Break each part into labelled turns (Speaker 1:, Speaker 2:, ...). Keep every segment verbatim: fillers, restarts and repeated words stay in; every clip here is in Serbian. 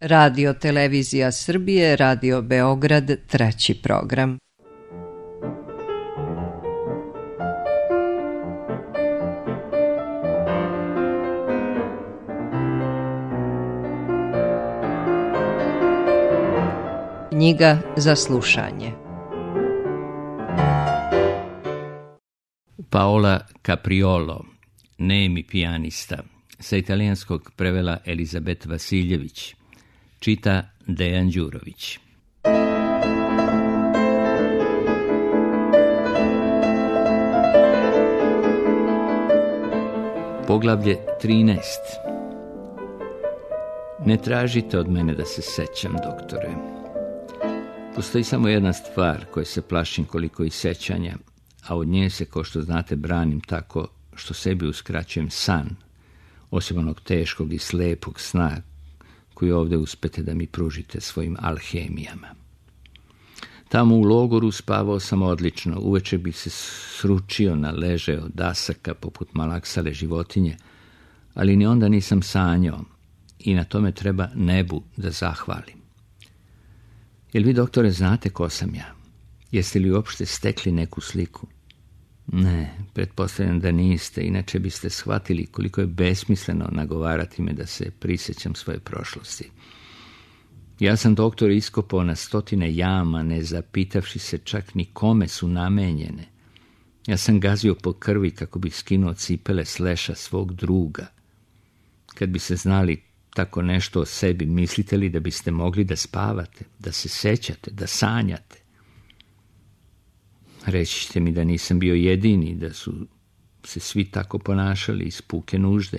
Speaker 1: Radio Televizija Srbije, Radio Beograd, treći program. Knjiga za slušanje.
Speaker 2: Paola Capriolo, nemi pijanista, sa italijanskog prevela Elizabet Vasiljević, čita Dejan Đurović. Poglavlje trinaest. Ne tražite od mene da se sećam, doktore. Postoji samo jedna stvar koje se plašim koliko i sećanja, a od nje se, kao što znate, branim tako što sebi uskraćujem san, osim onog teškog i slepog sna koji ovdje uspete da mi pružite svojim alhemijama. Tamo u logoru spavao sam odlično, uveče bih se sručio na leže od dasaka poput malaksale životinje, ali ni onda nisam sanjao i na tome treba nebu da zahvalim. Jel vi, doktore, znate ko sam ja? Jeste li uopšte stekli neku sliku? Ne, pretpostavljam da niste, inače biste shvatili koliko je besmisleno nagovarati me da se prisjećam svoje prošlosti. Ja sam, doktor, iskopao na stotine jama, ne zapitavši se čak ni kome su namenjene. Ja sam gazio po krvi kako bih skinuo cipele s leša svog druga. Kad bi se znali tako nešto o sebi, mislite li da biste mogli da spavate, da se sećate, da sanjate? Reći ćete mi da nisam bio jedini, da su se svi tako ponašali iz puke nužde.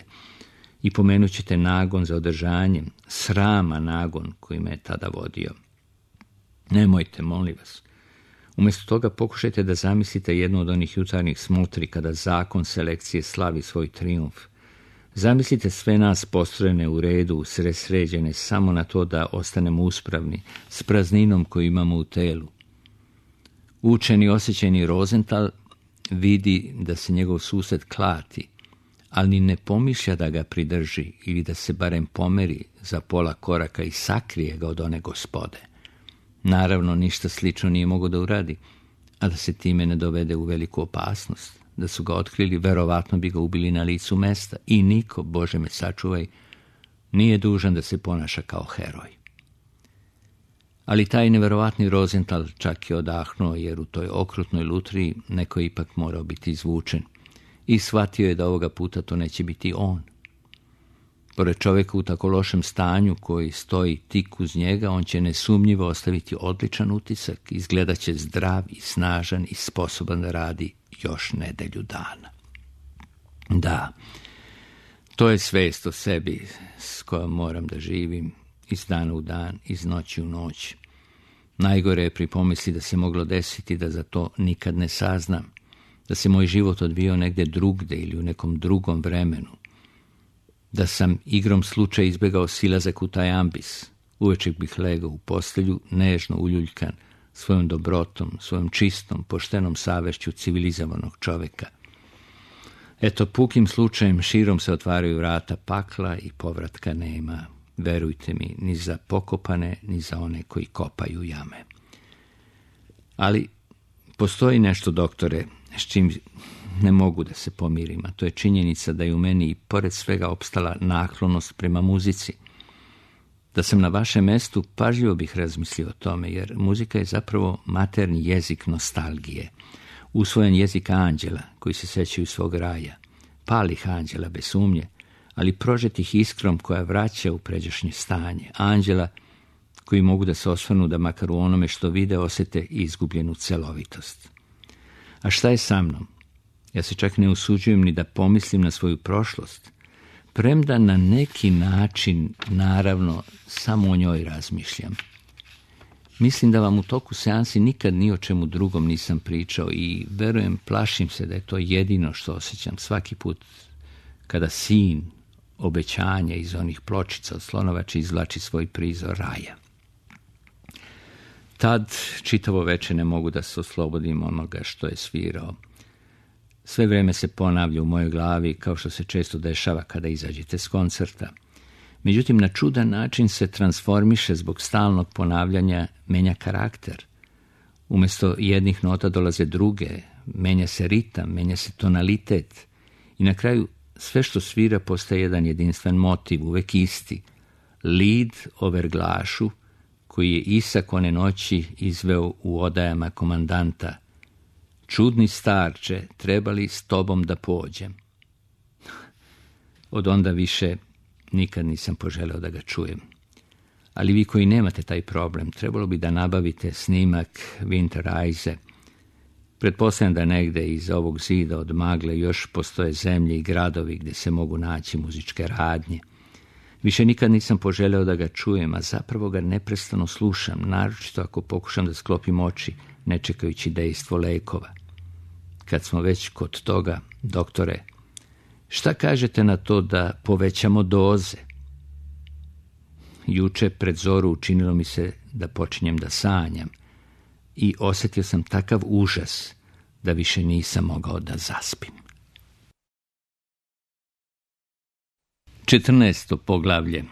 Speaker 2: I pomenut ćete nagon za održanjem, srama nagon koji me je tada vodio. Nemojte, molim vas. Umjesto toga pokušajte da zamislite jednu od onih jutarnjih smutri kada zakon selekcije slavi svoj trijumf. Zamislite sve nas postrojene u redu, usresređene samo na to da ostanemo uspravni, s prazninom koju imamo u telu. Učeni, osjećajni Rozental vidi da se njegov sused klati, ali ni ne pomišlja da ga pridrži ili da se barem pomeri za pola koraka i sakrije ga od one gospode. Naravno, ništa slično nije mogao da uradi, a da se time ne dovede u veliku opasnost. Da su ga otkrili, verovatno bi ga ubili na licu mesta i niko, Bože me sačuvaj, nije dužan da se ponaša kao heroj. Ali taj neverovatni Rozental čak je odahnuo, jer u toj okrutnoj lutriji neko je ipak morao biti izvučen i shvatio je da ovoga puta to neće biti on. Pored čovjeka u tako lošem stanju koji stoji tik uz njega, on će nesumnjivo ostaviti odličan utisak, izgledat će zdrav i snažan i sposoban da radi još nedelju dana. Da, to je svest o sebi s kojom moram da živim iz dana u dan, iz noći u noć. Najgore je pri pomisli da se moglo desiti da za to nikad ne saznam, da se moj život odvijao negde drugde ili u nekom drugom vremenu, da sam igrom slučaja izbegao silazak u taj ambis. Uvečer bih legao u postelju, nežno uljuljkan, svojom dobrotom, svojom čistom, poštenom savešću civilizovanog čoveka. Eto, pukim slučajem širom se otvaraju vrata pakla i povratka nema. Verujte mi, ni za pokopane, ni za one koji kopaju jame. Ali postoji nešto, doktore, s čim ne mogu da se pomirim, a to je činjenica da je u meni i pored svega opstala naklonost prema muzici. Da sam na vašem mestu, pažljivo bih razmislio o tome, jer muzika je zapravo materni jezik nostalgije, usvojen jezik anđela koji se sećaju svog raja, palih anđela bez sumnje, ali prožetih iskrom koja vraća u pređašnje stanje, anđela koji mogu da se osvrnu da makar u onome što vide osjete izgubljenu celovitost. A šta je sa mnom? Ja se čak ne usuđujem ni da pomislim na svoju prošlost, premda na neki način, naravno, samo o njoj razmišljam. Mislim da vam u toku seansi nikad ni o čemu drugom nisam pričao i verujem, plašim se da je to jedino što osjećam svaki put kada sin obećanja iz onih pločica od slonovače izvlači svoj prizor raja. Tad čitavo veče ne mogu da se oslobodim onoga što je svirao. Sve vrijeme se ponavlja u mojoj glavi, kao što se često dešava kada izađete s koncerta. Međutim, na čudan način se transformiše zbog stalnog ponavljanja, menja karakter. Umjesto jednih nota dolaze druge, menja se ritam, menja se tonalitet i na kraju sve što svira postaje jedan jedinstven motiv, uvek isti. Lid o verglašu koji je Isak one noći izveo u odajama komandanta. Čudni starče, trebali s tobom da pođem. Od onda više nikad nisam poželeo da ga čujem. Ali vi koji nemate taj problem, trebalo bi da nabavite snimak Winterreise. Pretpostavljam da negde iz ovog zida od magle još postoje zemlje i gradovi gdje se mogu naći muzičke radnje. Više nikad nisam poželeo da ga čujem, a zapravo ga neprestano slušam, naročito ako pokušam da sklopim oči, ne čekajući dejstvo lekova. Kad smo već kod toga, doktore, šta kažete na to da povećamo doze? Juče pred zoru učinilo mi se da počinjem da sanjam i osjetio sam takav užas da više nisam mogao da zaspim. četrnaesto poglavlje.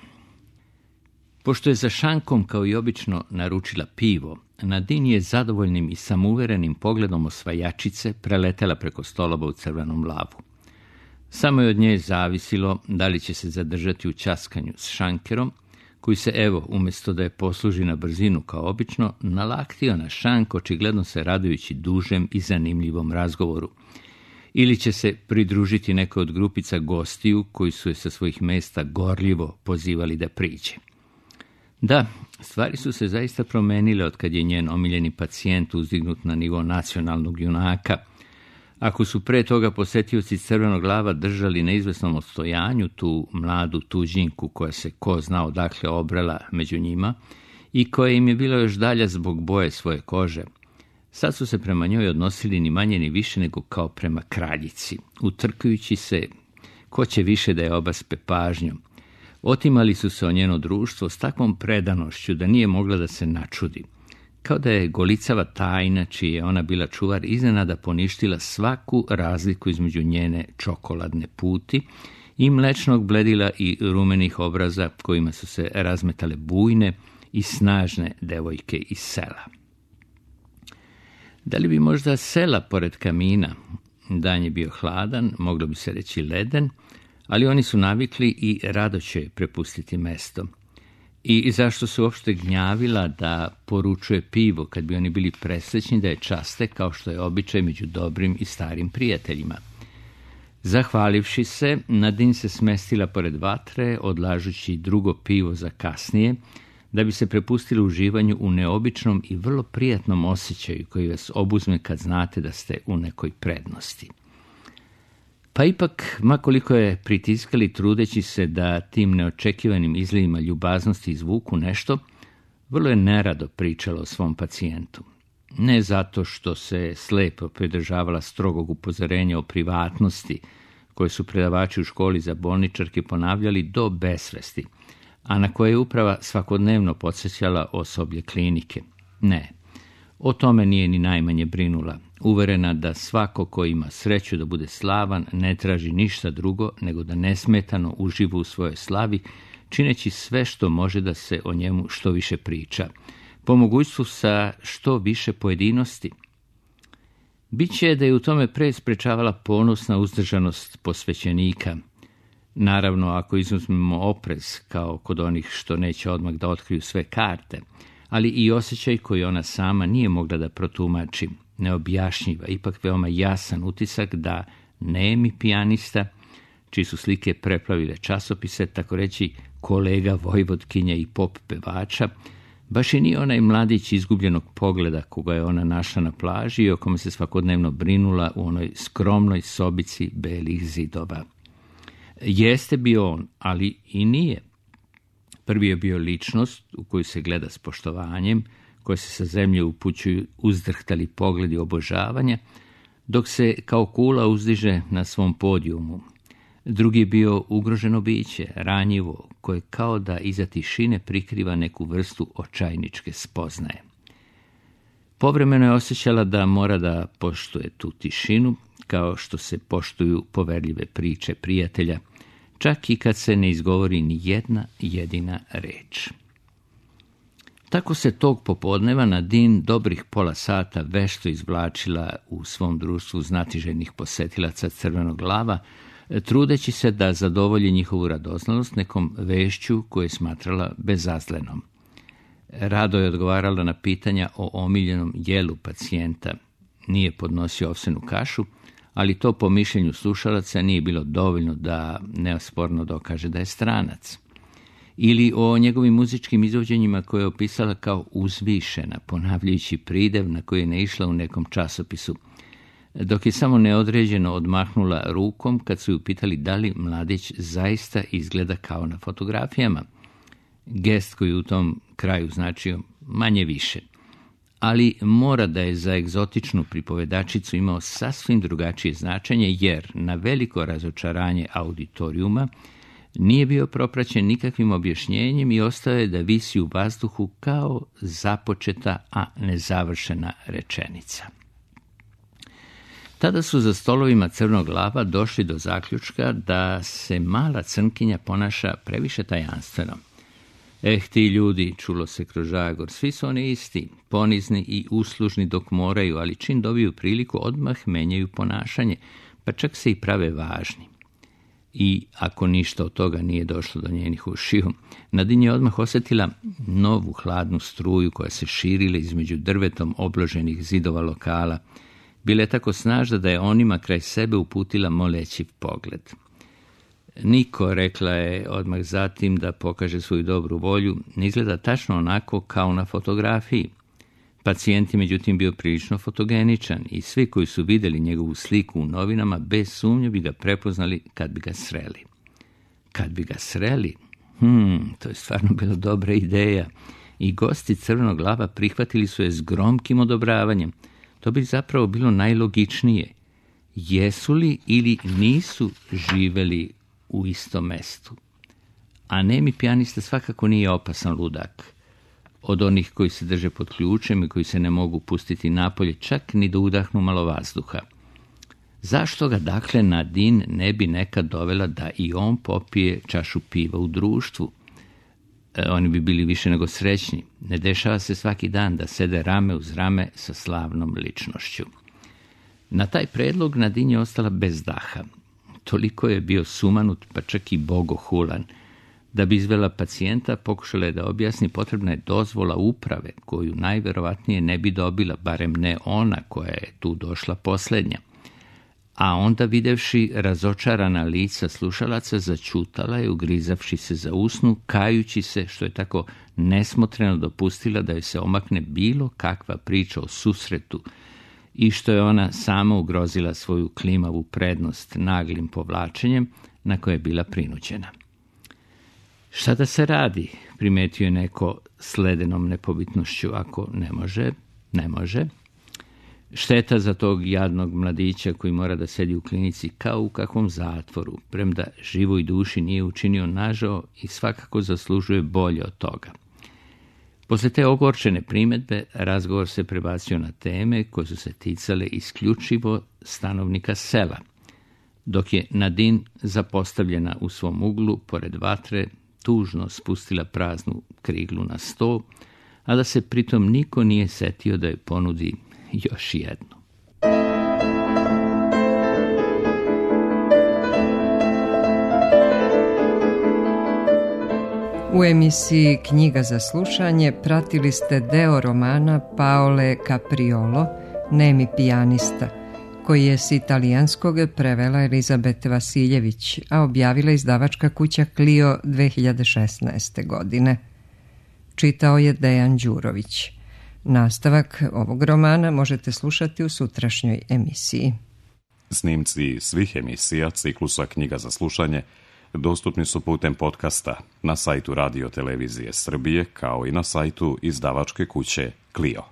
Speaker 2: Pošto je za šankom kao i obično naručila pivo, Nadine je zadovoljnim i samouverenim pogledom osvajačice preletela preko stolova u crvenom lavu. Samo je od nje zavisilo da li će se zadržati u ćaskanju s šankerom, koji se, evo, umjesto da je posluži na brzinu kao obično, nalaktio na šank, očigledno se radujući dužem i zanimljivom razgovoru. Ili će se pridružiti nekoj od grupica gostiju koji su je sa svojih mesta gorljivo pozivali da priđe. Da, stvari su se zaista promenile od kad je njen omiljeni pacijent uzdignut na nivo nacionalnog junaka. Ako su pre toga posetioci crvenog lava držali na izvesnom odstojanju tu mladu tuđinku koja se ko zna odakle obrela među njima i koja im je bila još dalja zbog boje svoje kože, sad su se prema njoj odnosili ni manje ni više nego kao prema kraljici, utrkujući se ko će više da je obaspe pažnjom. Otimali su se o njeno društvo s takvom predanošću da nije mogla da se načudi. Kao da je golicava tajna, čiji je ona bila čuvar, iznenada poništila svaku razliku između njene čokoladne puti i mlečnog bledila i rumenih obraza kojima su se razmetale bujne i snažne devojke iz sela. Da li bi možda sela pored kamina? Dan je bio hladan, moglo bi se reći leden, ali oni su navikli i rado će prepustiti mesto. I zašto se uopšte gnjavila da poručuje pivo kad bi oni bili presrećni da je časte kao što je običaj među dobrim i starim prijateljima. Zahvalivši se, Nadine se smestila pored vatre, odlažući drugo pivo za kasnije, da bi se prepustili uživanju u neobičnom i vrlo prijatnom osjećaju koji vas obuzme kad znate da ste u nekoj prednosti. Pa ipak, makoliko je pritiskali trudeći se da tim neočekivanim izlivima ljubaznosti izvuku nešto, vrlo je nerado pričala o svom pacijentu. Ne zato što se slepo pridržavala strogog upozorenja o privatnosti koje su predavači u školi za bolničarke ponavljali do besvesti, a na koje je uprava svakodnevno podsjećala osoblje klinike. Ne, o tome nije ni najmanje brinula, uverena da svako ko ima sreću da bude slavan ne traži ništa drugo nego da nesmetano uživa u svojoj slavi, čineći sve što može da se o njemu što više priča, po mogućstvu sa što više pojedinosti. Biće da je u tome pre sprečavala ponosna uzdržanost posvećenika, naravno ako izuzmemo oprez kao kod onih što neće odmah da otkriju sve karte, ali i osjećaj koji ona sama nije mogla da protumači, neobjašnjiva, ipak veoma jasan utisak da nemi pijanista, čiji su slike preplavile časopise, tako reći kolega Vojvodkinja i pop pevača, baš i nije onaj mladić izgubljenog pogleda koga je ona našla na plaži i o kome se svakodnevno brinula u onoj skromnoj sobici belih zidova. Jeste bio on, ali i nije. Prvi je bio ličnost u koju se gleda s poštovanjem, koje se sa zemlje upućuju uzdrhtali pogledi obožavanja, dok se kao kula uzdiže na svom podijumu. Drugi je bio ugroženo biće, ranjivo, koje kao da iza tišine prikriva neku vrstu očajničke spoznaje. Povremeno je osjećala da mora da poštuje tu tišinu, kao što se poštuju poverljive priče prijatelja, čak i kad se ne izgovori ni jedna jedina reč. Tako se tog popodneva Nadine dobrih pola sata vešto izvlačila u svom društvu znatiželjnih posetilaca Crvenog lava, trudeći se da zadovolji njihovu radoznalost nekom vešću koju je smatrala bezazlenom. Rado je odgovarala na pitanja o omiljenom jelu pacijenta. Nije podnosio ovsenu kašu, ali to po mišljenju slušalaca nije bilo dovoljno da neosporno dokaže da je stranac. Ili o njegovim muzičkim izvođenjima koje je opisala kao uzvišena, ponavljajući pridev na koji je naišla u nekom časopisu, dok je samo neodređeno odmahnula rukom kad su ju pitali da li mladić zaista izgleda kao na fotografijama. Gest koji u tom kraju značio manje više. Ali mora da je za egzotičnu pripovedačicu imao sasvim drugačije značenje, jer na veliko razočaranje auditorijuma nije bio propraćen nikakvim objašnjenjem i ostao je da visi u vazduhu kao započeta, a nezavršena rečenica. Tada su za stolovima Crnog lava došli do zaključka da se mala crnkinja ponaša previše tajanstveno. Eh, ti ljudi, čulo se kroz žagor, svi su oni isti, ponizni i uslužni dok moraju, ali čim dobiju priliku odmah menjaju ponašanje, pa čak se i prave važni. I ako ništa od toga nije došlo do njenih ušiju, Nadine je odmah osjetila novu hladnu struju koja se širila između drvetom obloženih zidova lokala. Bila je tako snažna da je onima kraj sebe uputila molećiv pogled. Niko, rekla je odmah zatim da pokaže svoju dobru volju, ne izgleda tačno onako kao na fotografiji. Pacijent je međutim bio prilično fotogeničan i svi koji su vidjeli njegovu sliku u novinama bez sumnje bi ga prepoznali kad bi ga sreli. Kad bi ga sreli? Hmm, to je stvarno bila dobra ideja. I gosti Crvenog lava prihvatili su je s gromkim odobravanjem. To bi zapravo bilo najlogičnije. Jesu li ili nisu živeli u istom mestu? A nemi pijanista svakako nije opasan ludak. Od onih koji se drže pod ključem i koji se ne mogu pustiti napolje, čak ni da udahnu malo vazduha. Zašto ga dakle Nadine ne bi nekad dovela da i on popije čašu piva u društvu? E, oni bi bili više nego srećni. Ne dešava se svaki dan da sede rame uz rame sa slavnom ličnošću. Na taj predlog Nadine je ostala bez daha. Toliko je bio sumanut, pa čak i bogohulan. Da bi izvela pacijenta, pokušala je da objasni, potrebna je dozvola uprave, koju najverovatnije ne bi dobila, barem ne ona koja je tu došla posljednja. A onda, videvši razočarana lica slušalaca, začutala je, ugrizavši se za usnu, kajući se što je tako nesmotreno dopustila da joj se omakne bilo kakva priča o susretu i što je ona sama ugrozila svoju klimavu prednost naglim povlačenjem na koje je bila prinuđena. Šta da se radi, primetio je neko s ledenom nepobitnošću, ako ne može, ne može. Šteta za tog jadnog mladića koji mora da sedi u klinici kao u kakvom zatvoru, premda živoj duši nije učinio nažao i svakako zaslužuje bolje od toga. Posle te ogorčene primedbe, razgovor se prebacio na teme koje su se ticale isključivo stanovnika sela, dok je Nadine, zapostavljena u svom uglu, pored vatre, tužno spustila praznu kriglu na sto, a da se pritom niko nije setio da joj ponudi još jednu.
Speaker 1: U emisiji Knjiga za slušanje pratili ste deo romana Paole Capriolo, Nemi pijanista, koji je s italijanskog prevela Elizabete Vasiljević, a objavila izdavačka kuća Clio dve hiljade šesnaeste. godine. Čitao je Dejan Đurović. Nastavak ovog romana možete slušati u sutrašnjoj emisiji.
Speaker 3: Snimci svih emisija ciklusa Knjiga za slušanje dostupni su putem podcasta na sajtu Radio Televizije Srbije, kao i na sajtu izdavačke kuće Clio.